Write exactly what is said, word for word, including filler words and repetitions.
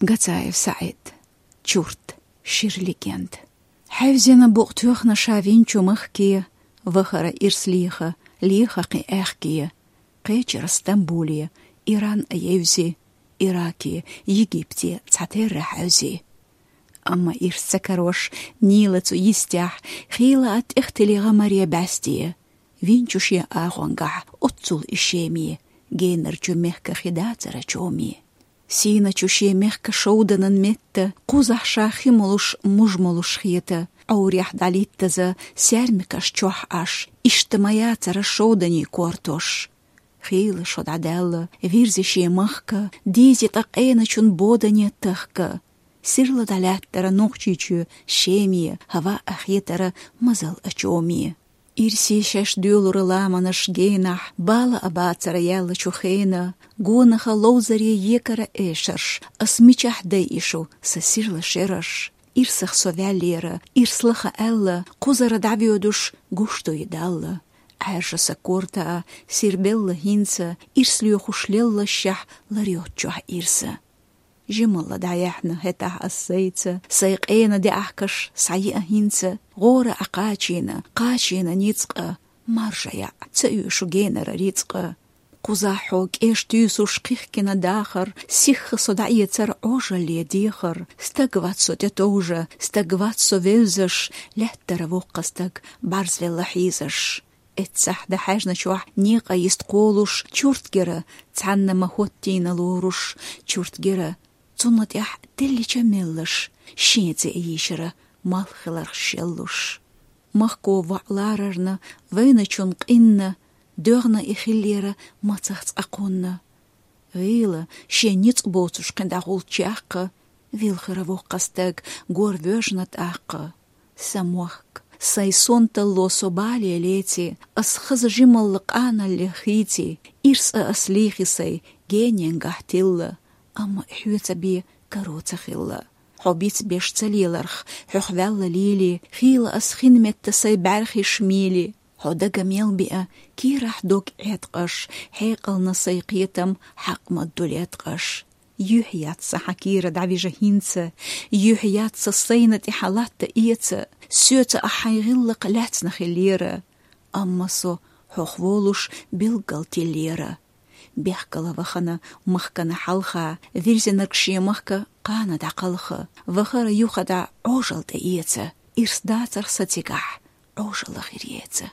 Гацаев СаӀид. Чурт. Шира легенда. Хьаьвзина букъ тоьхна ша винчу махке, вахара ирс леха, леха кхин аьхке. Кхечира Стамбуле, Иран а евзи, Ираке, Египте цхьатерра хьаьвзи. Амма ирс ца карош, Нила цу йистехь, хийла а тӀехтели гӀамаре бӀаьсте. Винчу шен агӀонгахь, оццул и шеме, генарчу мехка хи дацара чоме. Сийначу шен мехка шовданан метта, кхузахь ша хи молуш, муж молуш хета, Ӏоврехь дӀалиттаза, саьрмикаш чохь Ӏаш, иштта ма яцара шовданийн кортош. Хийла шо дӀадаьлла, вирзи шен махка, дийзи тӀаккха къеначун бодане тахка. Сирла дӀалаьттара Нохчийчоь шеме, хӀаваъ а хетара мазал а чоме. Ирсе шаьш доьлура ламанаш генахь, бала а бацара яьллачу хенан, гонаха ловзаре екара эшарш, ас мичахь дайи шу, сан сирла шераш. Ирсах со ваьллера, ирс лаха аьлла, кхузара дӀавоьдуш гуш ду и Далла. Ӏаьржа сан корта а, сирбелла хӀинца, ирс лоьхуш леллашехь лар йоцчохь ирса. Жималла дӀаяьхьна хӀетахь ас сайца, сайн къена деахкаш схьаеа хӀинца, гӀора Ӏа кхачийна, кхачийна ницкъа, маржа яӀ, ца оьшу генара рицкъа. Кхузахь хьо кӀеш туьйсуш кхихкина дахар, сихха со дӀаэцар Ӏожалле дехар, стаг вац со тӀетовжа, стаг вац со вевзаш, лаьттара воккха стаг бӀарзвелла хьийзаш. Эццахь дӀахьаьжначохь некъа йист кхолуш, чурт гира, цхьанна ма хӀоттийна лоруш, чурт гира, цунна тӀехь теллича меллаш, шен цӀе йийшира, малх хиларх шеллуш. Махко воӀ ларарна, вайначун къинна, доьгӀна и хиллера мацах цкъа кхунна. ГӀийла, шен ницкъ боцуш кхин дӀагӀулччехь, вилхира воккха стаг, гор воьжна тӀаккха. Сан мохк, сайн сонталло со бале леци, ас хаза жималла къаналлех хийци, ирс а ас лийхи сайн гененгахь тилла, амма хьоьца бен каро ца хилла. Хьо бицбеш ца леларх, хьох ваьлла лийли, хийла ас хин метта сайн бӀаьрхиш мийли. Хьо дага мел биа, кийрахь дог Ӏеткъаш, хьекъална сайн кхетам хьакъ ма ду леткъаш. Юьхь яц сан хьан кийра дӀавижа хӀинца, юьхь яц сан сайна тӀе хьан латта эца, соьца ахь хьайн гӀиллакх лаьцна хиллера. Амма со хьох волуш билггал тиллера. Бехкала вахана махкана хьалха, вирзинарг шен махка къана дӀакхалха, вахара юха дӀа Ӏожалла тӀеэца, ирс дацарх сан цигахь Ӏожалла хир еца.